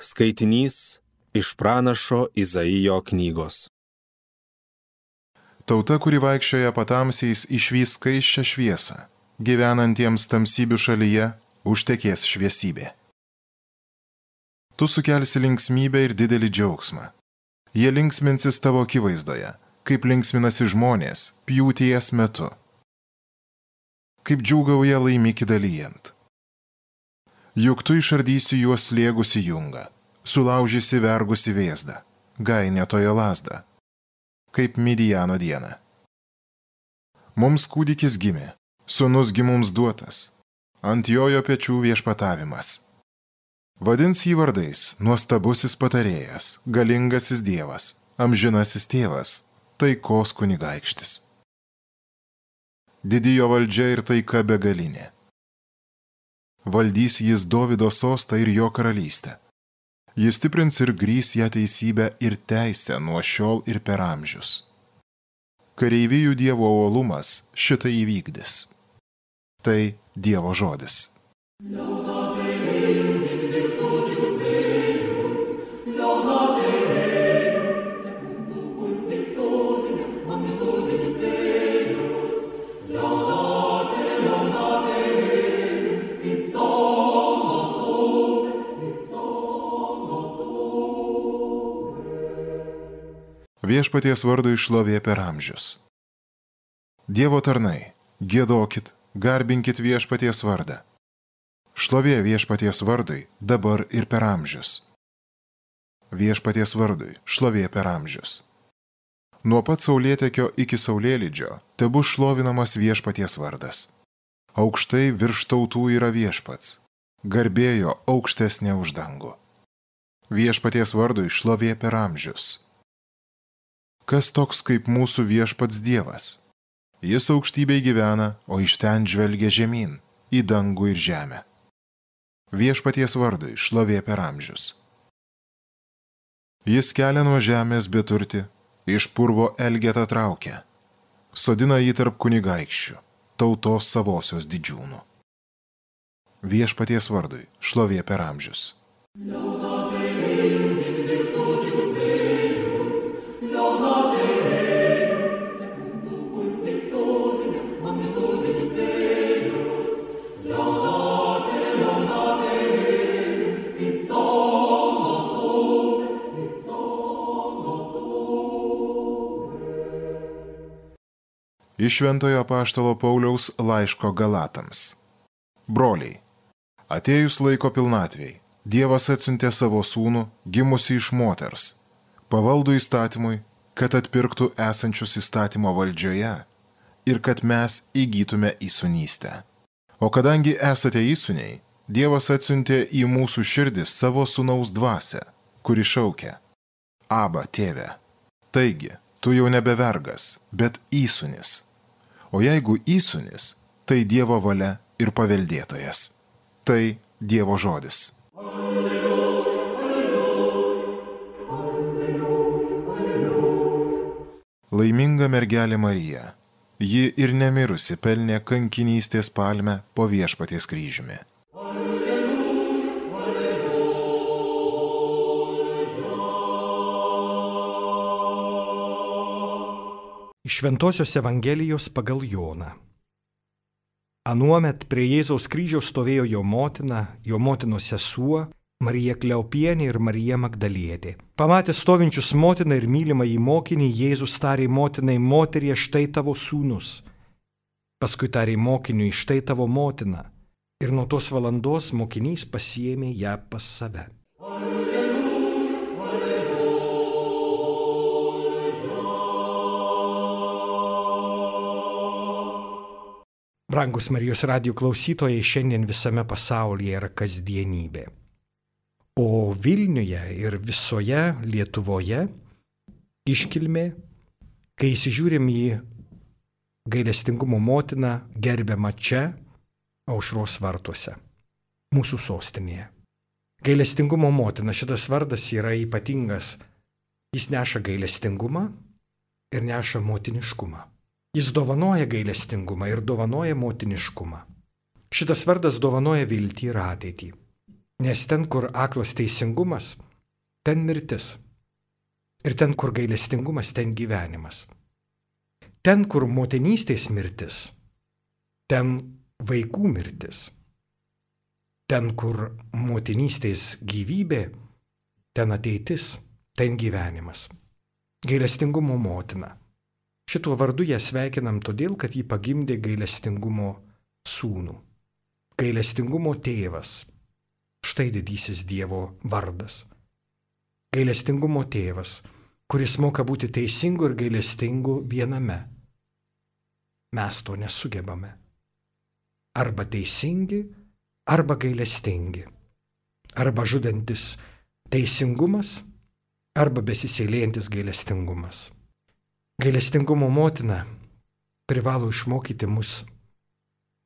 Skaitinys iš pranašo Izaijo knygos. Tauta, kuri vaikščioja patamsiais, išvys skaisčią šviesą, gyvenantiems tamsybių šalyje užtekės šviesybė. Tu sukelsi linksmybę ir didelį džiaugsmą. Jie linksminsis tavo akivaizdoje, kaip linksminasi žmonės pjūties metu. Kaip džiūgauja laimikį dalyjant. Juk tu išardysi juos slėgusi jungą, sulaužysi vergusi vėzdą, gainėtojo lazdą, kaip Midijano dieną. Mums kūdikis gimė, sūnus gi mums duotas, ant jojo pečių viešpatavimas. Vadins jį vardais nuostabusis patarėjas, galingasis Dievas, amžinasis tėvas, taikos kunigaikštis. Didijo valdžia ir taika begalinė. Valdys jis Dovydo sostą ir jo karalystę. Jis stiprins ir grįs ją teisybę ir teisę nuo šiol ir per amžius. Kareivijų Dievo uolumas šitai įvykdys. Tai Dievo žodis. Viešpaties vardui šlovė per amžius. Dievo tarnai, giedokit, garbinkit viešpaties vardą. Šlovė viešpaties vardui dabar ir per amžius. Viešpaties vardui šlovė per amžius. Nuo pat saulėtekio iki saulėlydžio tebus šlovinamas viešpaties vardas. Aukštai virš tautų yra viešpats, garbėjo aukštesnė už dangų. Viešpaties vardui šlovė per amžius. Kas toks kaip mūsų viešpats Dievas? Jis aukštybėj gyvena, o iš ten žvelgia žemyn, į dangų ir žemę. Viešpaties vardui šlovė per amžius. Jis kelia nuo žemės beturtį, iš purvo elgetą traukia, sodina jį tarp kunigaikščių, tautos savosios didžiūnų. Viešpaties vardui šlovė per amžius. Iš Šventojo apaštalo Pauliaus laiško Galatams. Broliai, atėjus laiko pilnatvei, Dievas atsiuntė savo sūnų, gimusį iš moters, pavaldų įstatymui, kad atpirktų esančius įstatymo valdžioje ir kad mes įgytume įsūnystę. O kadangi esate įsūniai, Dievas atsiuntė į mūsų širdis savo sūnaus dvasią, kuri šaukia: Aba, tėve. Taigi, tu jau nebe vergas, bet įsūnis. O jeigu įsūnis, tai Dievo valia ir paveldėtojas. Tai Dievo žodis. Alleluja, alleluja, alleluja, alleluja. Laiminga mergelė Marija, ji ir nemirusi pelnė kankinystės palmę po viešpaties kryžiumi. Iš Šventosios Evangelijos pagal Joną. Anuomet prie Jėzaus kryžiaus stovėjo jo motina, jo motinos sesuo, Marija Kleopienė ir Marija Magdalietė. Pamatęs stovinčius motiną ir mylimą į mokinį, Jėzus tarė motinai: Moterie, štai tavo sūnus. Paskui tarė mokiniui: Štai tavo motina. Ir nuo tos valandos mokinys pasiėmė ją pas save. Brangus Marijos radijo klausytojai, šiandien visame pasaulyje yra kasdienybė. O Vilniuje ir visoje Lietuvoje iškilmė, kai įsižiūrim į gailestingumo motiną gerbiamą čia, Aušros vartuose, mūsų sostinėje. Gailestingumo motina, šitas vardas yra ypatingas. Jis neša gailestingumą ir neša motiniškumą. Jis dovanoja gailestingumą ir dovanoja motiniškumą. Šitas vardas dovanoja viltį ir ateitį. Nes ten, kur aklas teisingumas, ten mirtis. Ir ten, kur gailestingumas, ten gyvenimas. Ten, kur motinystės mirtis, ten vaikų mirtis. Ten, kur motinystės gyvybė, ten ateitis, ten gyvenimas. Gailestingumo motina. Šituo vardu ją sveikinam todėl, kad ji pagimdė gailestingumo sūnų. Gailestingumo tėvas. Štai didysis Dievo vardas. Gailestingumo tėvas, kuris moka būti teisingu ir gailestingu viename. Mes to nesugebame. Arba teisingi, arba gailestingi. Arba žudantis teisingumas, arba besisėlėjantis gailestingumas. Gailestingumo motina privalo išmokyti mus,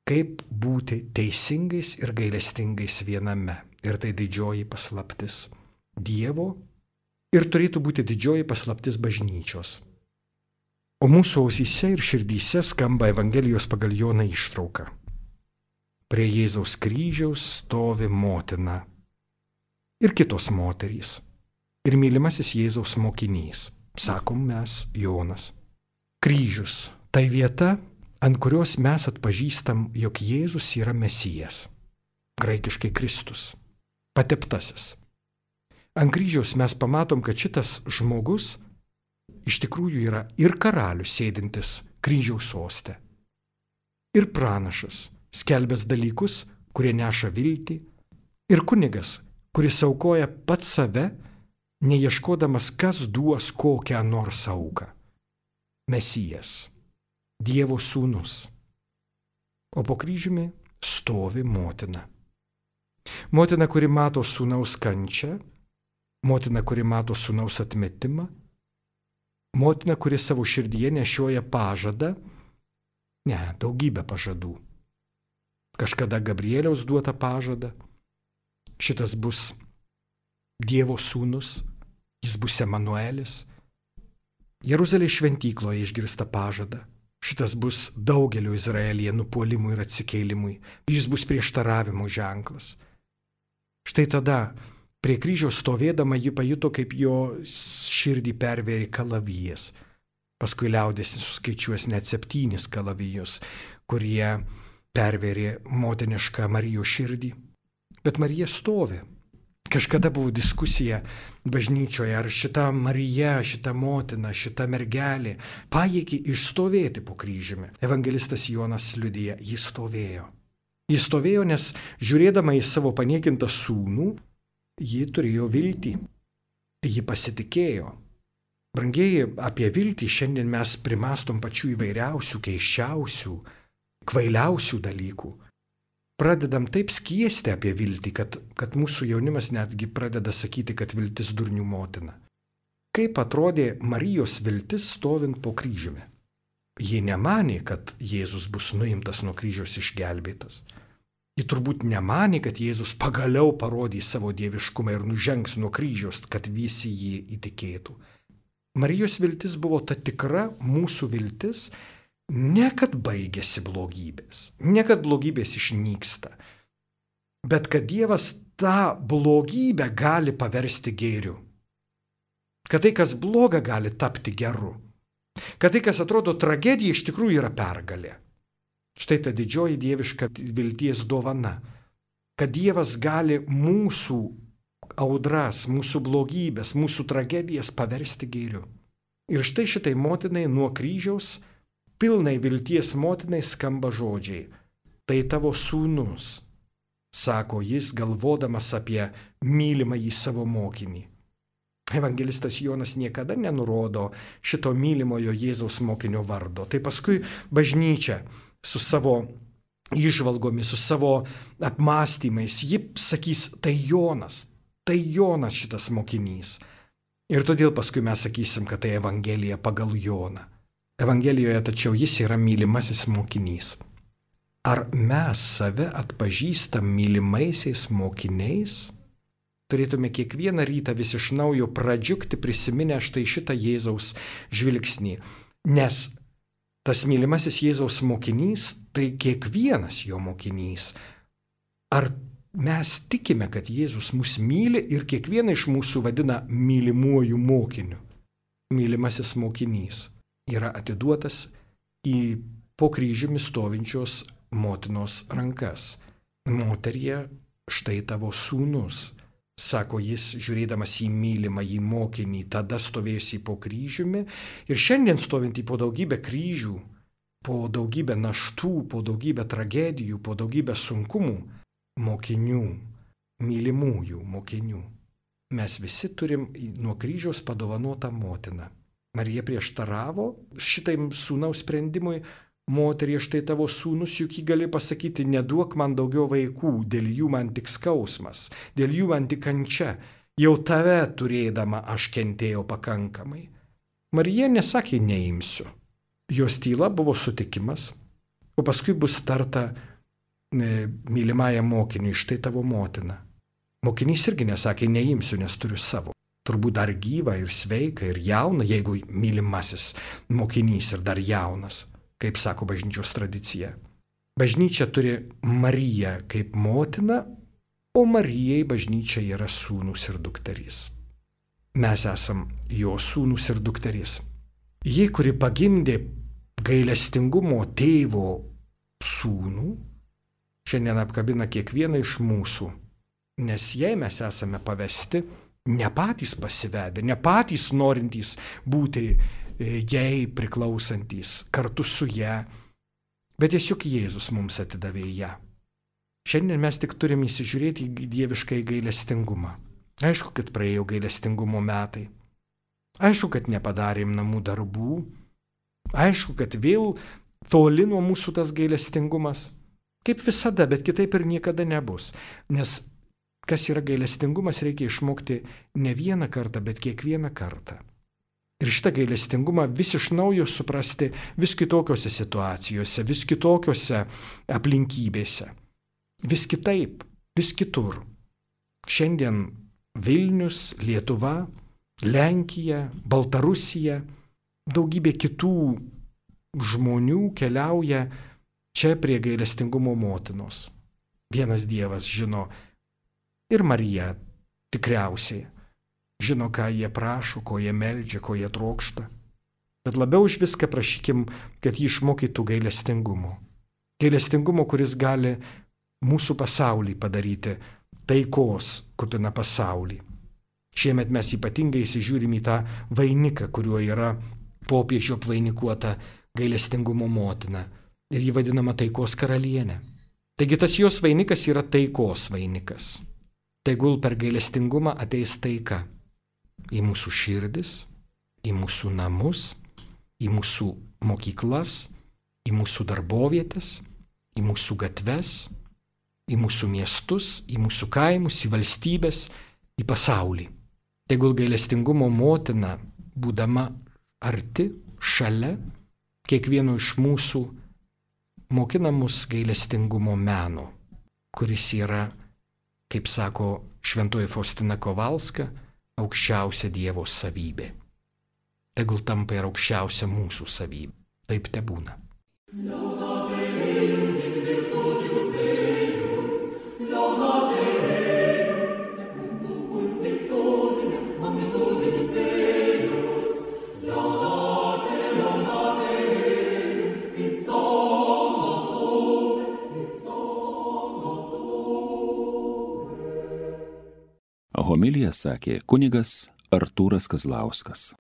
kaip būti teisingais ir gailestingais viename. Ir tai didžioji paslaptis Dievo ir turėtų būti didžioji paslaptis bažnyčios. O mūsų ausyse ir širdyse skamba Evangelijos pagal Joną ištrauka. Prie Jėzaus kryžiaus stovi motina ir kitos moterys. Ir mylimasis Jėzaus mokinys, sakom mes Jonas. Kryžius – tai vieta, ant kurios mes atpažįstam, jog Jėzus yra Mesijas, graikiškai Kristus, pateptasis. Ant kryžiaus mes pamatom, kad šitas žmogus iš tikrųjų yra ir karalius sėdintis kryžiaus soste, ir pranašas, skelbęs dalykus, kurie neša viltį, ir kunigas, kuris aukoja pats save, neieškodamas, kas duos kokią nors auką. Mesijas, Dievo sūnus. O po kryžiumi stovi motina. Motina, kuri mato sūnaus kančią, motina, kuri mato sūnaus atmetimą, motina, kuri savo širdyje nešioja pažadą, daugybę pažadų. Kažkada Gabrieliaus duota pažada, šitas bus Dievo sūnus, jis bus Emanuelis. Jeruzalės šventykloje išgirsta pažadą. Šitas bus daugelio Izraelyje nupuolimui ir atsikėlimui. Jis bus prieštaravimo ženklas. Štai tada prie kryžiaus stovėdama ji pajuto, kaip jo širdį pervėrė kalavijas. Paskui liaudėsi suskaičiuos net 7 kalavijus, kurie pervėrė motinišką Marijos širdį. Bet Marija stovi. Kažkada buvo diskusija bažnyčioje, ar šita Marija, šita motina, šita mergelė pajėgė išstovėti po kryžiumi. Evangelistas Jonas liudija, jis stovėjo. Jis stovėjo, nes žiūrėdama į savo paniekintą sūnų, ji turėjo viltį. Ji pasitikėjo. Brangieji, apie viltį šiandien mes primastom pačių įvairiausių, keisčiausių, kvailiausių dalykų. Pradedam taip skiesti apie viltį, kad mūsų jaunimas netgi pradeda sakyti, kad viltis durnių motina. Kaip atrodė Marijos viltis stovint po kryžiumi? Ji nemanė, kad Jėzus bus nuimtas nuo kryžiaus išgelbėtas. Ji turbūt nemanė, kad Jėzus pagaliau parodys savo dieviškumą ir nužengs nuo kryžiaus, kad visi jį įtikėtų. Marijos viltis buvo ta tikra mūsų viltis, ne kad baigėsi blogybės, ne kad blogybės išnyksta, bet kad Dievas tą blogybę gali paversti gėriu. Kad tai, kas bloga, gali tapti geru. Kad tai, kas atrodo tragedija, iš tikrųjų yra pergalė. Štai ta didžioji dieviška vilties dovana. Kad Dievas gali mūsų audras, mūsų blogybės, mūsų tragedijas paversti gėriu. Ir štai šitai motinai nuo kryžiaus, pilnai vilties motinai skamba žodžiai. Tai tavo sūnus, sako jis, galvodamas apie mylimąjį savo mokinį. Evangelistas Jonas niekada nenurodo šito mylimojo Jėzaus mokinio vardo. Tai paskui bažnyčia su savo įžvalgomis, su savo apmąstymais, ji sakys, tai Jonas šitas mokinys. Ir todėl paskui mes sakysim, kad tai Evangelija pagal Joną. Evangelijoje tačiau jis yra mylimasis mokinys. Ar mes save atpažįstam mylimaisiais mokiniais? Turėtume kiekvieną rytą vis iš naujo pradžiugti prisiminę štai šitą Jėzaus žvilgsnį. Nes tas mylimasis Jėzaus mokinys, tai kiekvienas jo mokinys. Ar mes tikime, kad Jėzus mus myli ir kiekvieną iš mūsų vadina mylimuoju mokiniu. Mylimasis mokinys yra atiduotas į po kryžiumi stovinčios motinos rankas. Moterie, štai tavo sūnus, sako jis, žiūrėdamas į mylimą į mokinį, tada stovėjusį po kryžiumi ir šiandien stovintį po daugybę kryžių, po daugybę naštų, po daugybę tragedijų, po daugybę sunkumų, mokinių, mylimųjų mokinių. Mes visi turim nuo kryžiaus padovanotą motiną. Marija prieštaravo šitam sūnaus sprendimui. Moterie, štai tavo sūnus, juk jį gali pasakyti, neduok man daugiau vaikų, dėl jų man tik skausmas, dėl jų man tik kančia, jau tave turėdama aš kentėjau pakankamai. Marija nesakė neimsiu. Jos tyla buvo sutikimas, o paskui bus tarta mylimajam mokiniui, štai tavo motina. Mokinys irgi nesakė neimsiu, nes turiu savo. Turbūt dar gyva ir sveika ir jauna, jeigu mylimasis mokinys ir dar jaunas. Kaip sako bažnyčios tradicija. Bažnyčia turi Mariją kaip motiną, o Marijai bažnyčia yra sūnus ir dukterys. Mes esam jo sūnus ir dukterys. Ji, kuri pagimdė gailestingumo tėvo sūnų, šiandien apkabina kiekvieną iš mūsų, nes jei mes esame pavesti, ne patys pasivedę, ne patys norintys būti jai priklausantys kartu su ją, bet tiesiog Jėzus mums atidavė ją. Šiandien mes tik turim įsižiūrėti į dieviškai gailestingumą. Aišku, kad praėjo gailestingumo metai. Aišku, kad nepadarėm namų darbų. Aišku, kad vėl toli nuo mūsų tas gailestingumas. Kaip visada, bet kitaip ir niekada nebus. Nes kas yra gailestingumas, reikia išmokti ne vieną kartą, bet kiekvieną kartą. Ir šitą gailestingumą vis iš naujo suprasti vis kitokiose situacijose, vis kitokiose aplinkybėse. Vis kitaip, vis kitur. Šiandien Vilnius, Lietuva, Lenkija, Baltarusija, daugybė kitų žmonių keliauja čia prie gailestingumo motinos. Vienas Dievas žino ir Marija tikriausiai. Žino, ką jie prašo, ko jie meldžia, ko jie trokšta. Bet labiau už viską prašykim, kad jį išmokytų gailestingumo. Gailestingumo, kuris gali mūsų pasaulį padaryti taikos kupiną pasaulį. Šiemet mes ypatingai įsižiūrim į tą vainiką, kuriuo yra popiežių apvainikuota gailestingumo motina. Ir jį vadinama taikos karalienė. Taigi tas jos vainikas yra taikos vainikas. Tegul per gailestingumą ateis taika. Į mūsų širdis, į mūsų namus, į mūsų mokyklas, į mūsų darbovietės, į mūsų gatves, į mūsų miestus, į mūsų kaimus, į valstybės, į pasaulį. Tegul gailestingumo motina, būdama arti, šalia, kiekvieno iš mūsų mokina mus gailestingumo meno, kuris yra, kaip sako šventoji Faustina Kovalska, aukščiausia Dievo savybė. Tegul tampa ir aukščiausia mūsų savybė. Taip tebūna. Homiliją sakė kunigas Artūras Kazlauskas.